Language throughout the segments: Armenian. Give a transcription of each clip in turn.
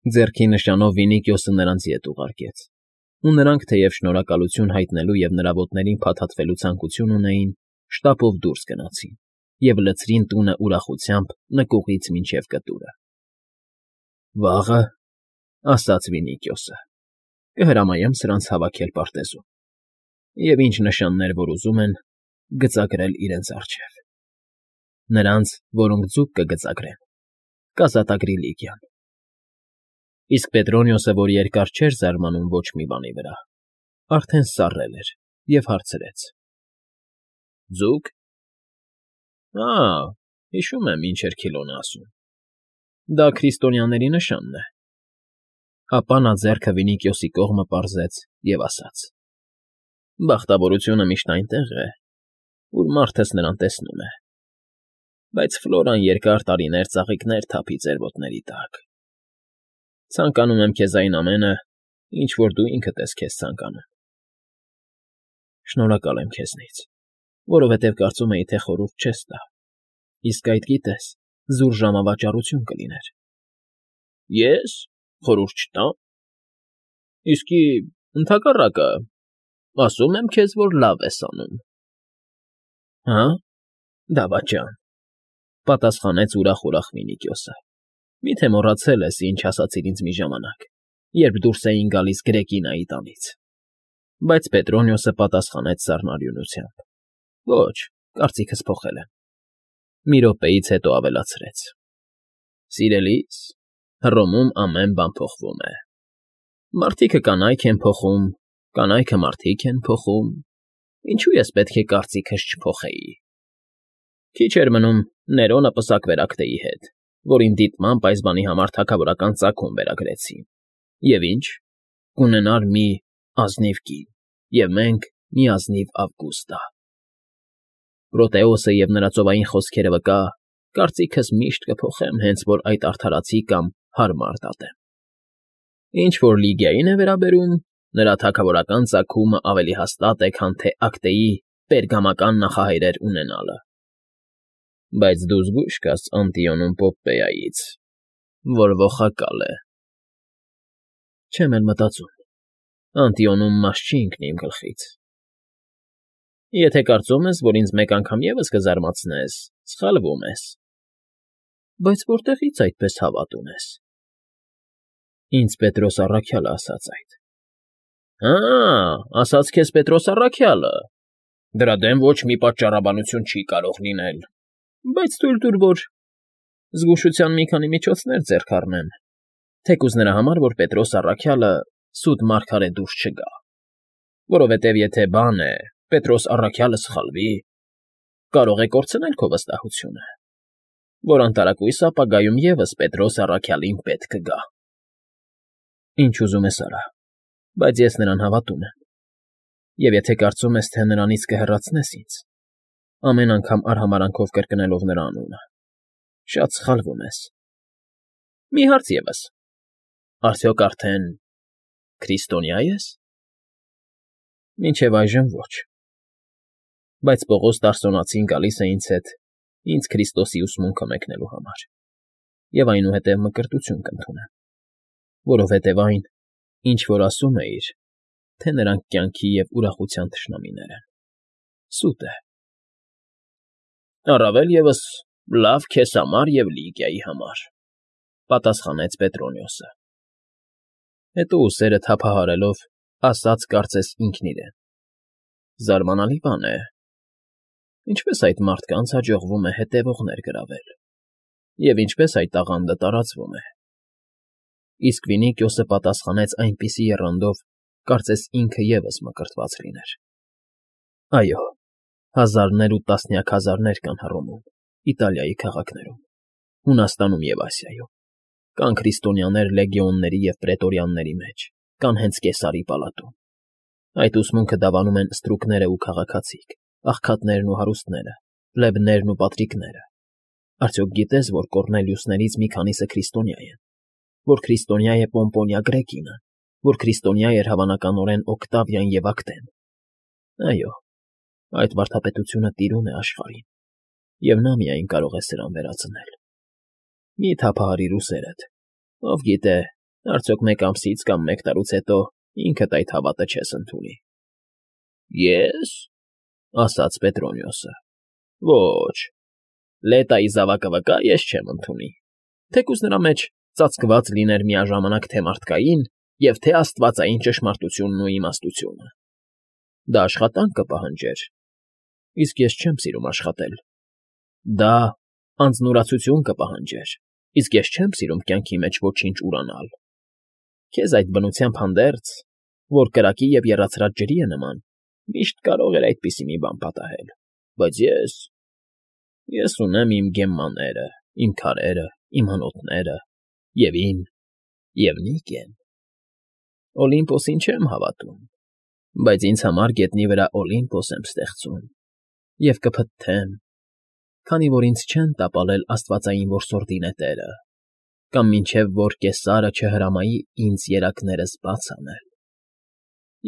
Ձեռքի նշանով Վինիքիոսը նրանց ետ ուղարկեց, ու նրանք, թեև շնորհակալություն հայտնելու և նրա ոտներին փաթաթվելու ցանկություն ունեին, շտապով դուրս գնացին և լցրին տունը ուրախությամբ նկուղից մինչև կտուրը։ ֊ Վաղը, ֊ ասաց Վինիքիոսը, ֊ կհրամայեմ սրանց հավաքել պարտեզում և, ինչ նշաններ որ ուզում են, գծագրել իրենց առջև. նրանց, որոնք ձուկ կգծագրեն, կազատագրի Լիգիան։ Իսկ Պետրոնիոսը, որ երկար չէր զարմանում ոչ մի բանի վրա, արդեն սառել էր և հարցրեց. ֊ Ձո՞ւկ։ Ա, հիշում եմ, ինչ էր Քիլոնը ասում. դա քրիստոնյաների նշանն է։ Ապա նա ձեռքը Վինիքիոսի կողմը պարզեց և ասաց. բախտավորությունը միշտ այնտեղ է, ուր մարդս նրան տեսնում է, բայց Ֆլորան երկար տարիներ ծաղիկներ թափի ձեր ոտների տակ։ Ցանկանում եմ քեզ այն ամենը, ինչ որ դու ինքդ ես քեզ ցանկանում։ Շնորհակալ եմ քեզնից, որովհետև կարծում էի, թե խորհուրդ չես տա, իսկ այդ, գիտես, զուր ժամավաճառություն կլիներ։ Ես խորհուրդ չտամ։ Իսկի, ընդհակառակը, ասում եմ քեզ, որ լավ ես անում։ Հա՞, դավաճան, ֊ պատասխանեց ուրախ Վինիքիոսը։ Միթե մոռացել ես, ինչ ասացիր ինձ մի ժամանակ, երբ դուրս էին գալիս Գրեկինայի տանից։ Բայց Պետրոնիոսը պատասխանեց սառնարյունությամբ. Ոչ, կարծիքս փոխել եմ։ Մի րոպեից հետո ավելացրեց. Սիրելի՛ս, Հռոմում ամեն բան փոխվում է։ Մարդիկը կանայք են փոխում, կանայքը մարդիկ են փոխում, ինչու ես պետք է կարծիքս չփոխեի։ Քիչ էր մնում, Ներոնը պսակվեր Ակտեի հետ, որին դիտմամբ այս բանի համար թագավորական ծագում վերագրեցի։ Եվ ինչ, կունենար մի ազնիվ կին, և մենք մի ազնիվ Ավգուստա։ Պրոտեոսը և նրա ծովային խոսքերը վկա, կարծիքս միշտ կփոխեմ, հենց որ այդ արդարացի կամ հարմար դատեմ։ Ինչ որ Լիգիային է վերաբերում, նրա թագավորական ծագումը ավելի հաստատ է, քան թե Ակտեի պերգամական նախահայրեր ունենալը։ Բայց դու զգույշ կաս Անտիոնում Պոպպեայից, որ ողակալ է։ Չեմ էլ մտածում, Անտիոնում մաս չի ընկնի իմ գլխից։ Եթե կարծում ես, որ ինձ մեկ անգամ ևս կզարմացնես, սխալվում ես։ Բայց որտեղից այդպես հավատ ունես։ Ինձ Պետրոս առաքյալը ասաց այդ։ Հա, ասաց քեզ Պետրոս առաքյալը։ Դրա դեմ ոչ մի պատճառաբանություն չի կարող լինել։ Բայց թույլ տուր, որ զգուշության մի քանի միջոցներ ձեռք առնեմ, թեկուզ նրա համար, որ Պետրոս առաքյալը սուտ մարգարե դուրս չգա, որովհետև եթե բան է, Պետրոս առաքյալը սխալվի, կարող է կորցնել քո վստահությունը, որ անտարակույս ապագայում ևս Պետրոս առաքյալին պետք կգա։ Ինչ ուզում ես արա, բայց ես նրան հավատում եմ, և եթե կարծում ես, թե նրանից կհեռացնես ինձ, ամեն անգամ արհամարհանքով կրկնելով նրա անունը, շատ սխալվում ես։ Մի հարց ևս. արդյոք արդեն քրիստոնյա ես։ Մինչև այժմ ոչ։ Բայց Պողոս Տարսոնացին գալիս է ինձ հետ ինձ Քրիստոսի ուսմունքը մեկնելու համար, և այնուհետև մկրտություն կընդունեմ, որովհետև այն, ինչ որ ասում էիր, թե նրանք կյանքի և ուրախության թշնամիներ են, սուտ է։ Առավել ևս լավ քեզ համար և Լիգիայի համար, ֊ պատասխանեց Պետրոնիոսը։ Հետո ուսերը թափահարելով, ասաց կարծես ինքն իրեն. Զարմանալի բան է, ինչպես այդ մարդկանց հաջողվում է հետևողներ գրավել, և ինչպես այդ տաղանդը տարածվում է։ Իսկ Վինիքիոսը պատասխանեց այնպիսի եռանդով, կարծես ինքը ևս մկրտված լիներ։ Այո, հազարներ ու տասնյակ հազարներ կան Հռոմում, Իտալիայի քաղաքներում, Հունաստանում և Ասիայում, կան քրիստոնյաներ լեգիոնների և պրետորյանների մեջ, կան հենց Կեսարի պալատում։ Այդ ուսմունքը դավանում են ստրուկները ու քաղաքացիք, աղքատներն ու հարուստները, պլեբներն ու պատրիկները։ Արդյոք գիտես, որ Կոռնելիուսներից մի քանիսը քրիստոնյա են, որ քրիստոնյա է Պոմպոնիա Գրեկինը, որ քրիստոնյա էր հավանականորեն Օկտավիան և Ակտեն։ Այո, այդ վարդապետությունը տիրում է աշխարհին, և նա միայն կարող է սրան վերածնել։ Մի թափահարիր ուսերդ, ով գիտե, Արդյոք մեկ ամսից կամ մեկ տարուց հետո ինքդ այդ հավատը չես ընդունի։ Ես, ասաց Պետրոնիոսը, ոչ, լետայի զավակը վկա ես չեմ ընդունի, թեկուզ նրա մեջ ծածկված լիներ միաժամանակ թե մարդկային և թե աստվածային ճշմարտությունն ու իմաստությունը։ Դա աշխատանք կպահանջեր, իսկ ես չեմ սիրում աշխատել։ Դա անձնուրացություն կպահանջեր, իսկ ես չեմ սիրում կյանքի մեջ ոչինչ ուրանալ։ Քեզ այդ բնությամբ հանդերձ, որ կրակի և եռացրած ջրի է նման, միշտ կարող էր այդպիսի մի բան պատահել, բայց ես ունեմ իմ գեմմաները, իմ քարերը, իմ հնոտները, և Նիկեն։ Օլիմպոսին չեմ հավատում, բայց ինձ համար գետնի վրա Օլիմպոս եմ ստեղծում և կփթթեմ, քանի որ ինձ չեն տապալել աստվածային որսորդի նետերը, կամ մինչև որ Կեսարը չհրամայի ինձ երակներս բաց անել։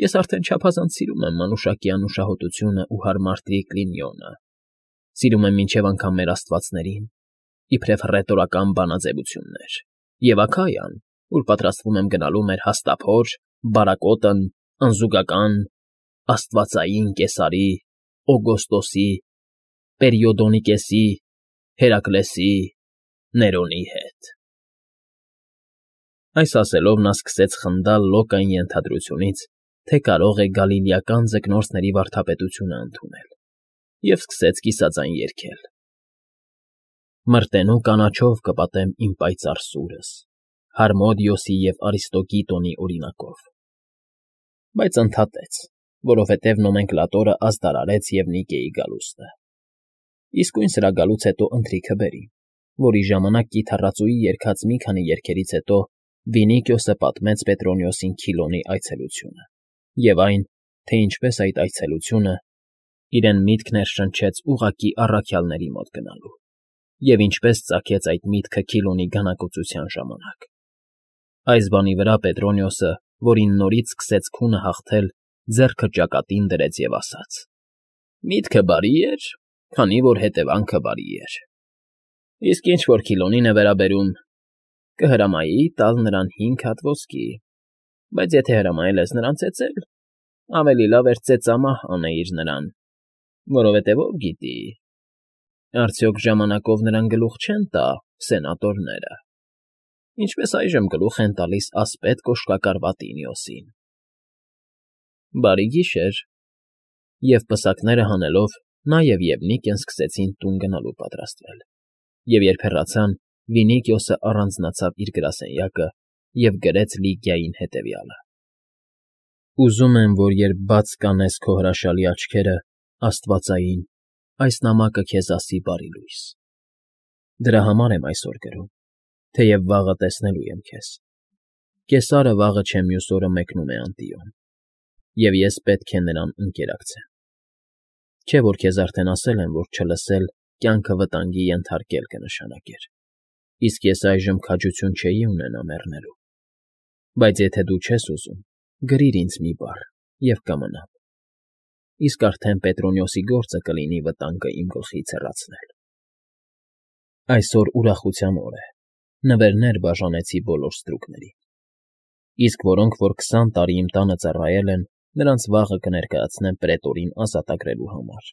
Ես արդեն չափազանց սիրում եմ մանուշակի անուշահոտությունն ու հարմար տրիկլինիոնը, սիրում եմ մինչև անգամ մեր աստվածներին, իբրև հռետորական բանաձևություններ, և Աքայան, ուր պատրաստվում եմ գնալու մեր հաստափոր, բարակոտն, անզուգական, աստվածային Կեսարի, Օգոստոսի, Պերիոդոնիկեսի, Հերակլեսի, Ներոնի հետ։ Այս ասելով նա սկսեց խնդալ լոկային ենթադրությունից, թե կարող է գալիլեական ձկնորսների վարդապետությունը ընդունել, և սկսեց կիսաձայն երգել. Մրտենու կանաչով կպատեմ իմ պայծառ սուրս, Հարմոդիոսի և Արիստոգիտոնի օրինակով։ Բայց ընդհատեց, որովհետև նոմենկլատորը ազդարարեց և Նիկեի գալուստը։ Իսկույն սրա գալուց հետո ընթրիքը բերի, որի ժամանակ կիթառածուի երգած մի քանի երգերից հետո Վինիքիոսը պատմեց Պետրոնիոսին Քիլոնի այցելությունը, և այն, թե ինչպես այդ այցելությունը իրեն միտք ներշնչեց ուղղակի առաքյալների մոտ գնալու, և ինչպես ծագեց այդ միտքը Քիլոնի գանակոծության ժամանակ։ Այս բանի վրա Պետրոնիոսը, որին նորից սկսեց քունը հաղթել, ձեռքը ճակատին դրեց և ասաց. Միտքը բարի էր, քանի որ հետևանքը բարի էր։ Իսկ ինչ որ Քիլոնին է վերաբերում, կհրամայի տալ նրան 5 հատ ոսկի, բայց եթե հրամայել ես նրան ծեծել, ավելի լավ էր ծեծամահ անեիր նրան, որովհետև ով գիտի, արդյոք ժամանակով նրան գլուխ չեն տա սենատորները, ինչպես այժմ գլուխ են տալիս ասպետ կոշկակար Վատինիոսին։ Բարի գիշեր, և պսակները հանելով նա և Նիկեն սկսեցին տուն գնալու պատրաստվել, և երբ հեռացան, Վինիքիոսը առանձնացավ իր գրասենյակը և գրեց Լիգիային հետևյալը. Ուզում եմ, որ երբ բաց կանես քո հրաշալի աչքերը, աստվածային, այս նամակը քեզ ասի բարի լույս։ Դրա համար եմ այսօր գրում, թեև վաղը տեսնելու եմ քեզ։ Կեսարը վաղը չէ մյուս օրը մեկնում է Անտիոն, և ես պետք է նրան ընկերակցեմ։ Չէ՞ որ քեզ արդեն ասել եմ, որ չլսել կյանքը վտանգի ենթարկել կնշանակեր, իսկ ես այժմ քաջություն չէի ունենա մեռնելու։ Բայց եթե դու չես ուզում, գրիր ինձ մի բառ, և կմնամ։ Իսկ արդեն Պետրոնիոսի գործը կլինի վտանգը իմ գլխից հեռացնել։ Այսօր ուրախության օր է, նվերներ բաժանեցի բոլոր ստրուկներին, իսկ որոնք որ 20 տարի իմ տանը ծառայել են, նրանց վաղը կներկայացնեմ պրետորին ազատագրելու համար։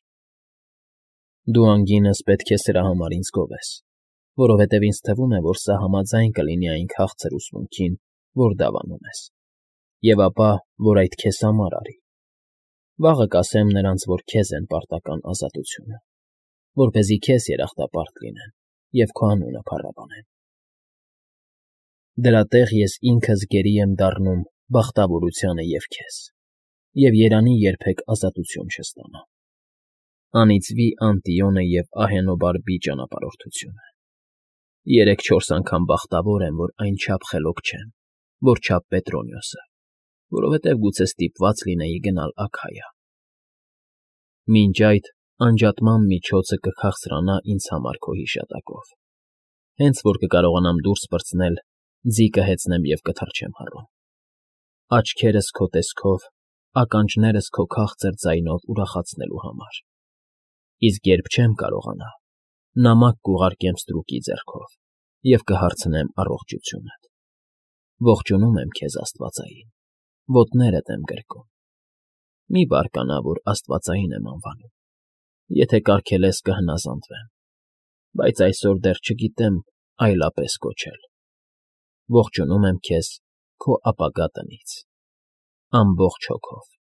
Դու անգինս պետք է սրա համար ինձ գովես, որովհետև ինձ թվում է, որ սա համաձայն կլինի այն քաղցր ուսմունքին, որ դավանում ես, և ապա, որ այդ քեզ համար արի։ Վաղը կասեմ նրանց, որ քեզ են պարտական ազատությունը, որպեսզի քեզ երախտապարտ լինեն և քո անունը փառաբանեն։ Դրա տեղ ես ինքս գերի եմ դառնում բախտավորությանը և քեզ, և երանի երբեք ազատություն չստանա։ Անիծվի Անտիոնը և Ահենոբարբի ճանապարհորդությունը։ 3-4 անգամ բախտավոր եմ, որ այնչափ խելոք չեմ, որչափ Պետրոնիոսը, որովհետև գուցե ստիպված լինեի գնալ Աքայա։ Մինչ այդ անջատման միջոցը կքաղցրանա ինձ համար քո հիշատակով, հենց որ կկարողանամ դուրս պրծնել, ձի կհեծնեմ և կթռչեմ հառում, աչքերս քո տեսքով, ականջներս քո քաղցր ձայնով ուրախացնելու համար, իսկ երբ չեմ կարողանա, նամակ կուղարկեմ ստրուկի ձեռքով և կհարցնեմ առողջությունդ։ Ողջունում եմ քեզ, աստվածային, ոտներդ եմ գրկում, մի բարկանա, որ աստվածային եմ անվանում, եթե կարգել ես կհնազանդվեմ, բայց այսօր դեռ չգիտեմ այլապես կոչել, ողջունում եմ քեզ քո ապագա տնից, ամբողջ հոգով։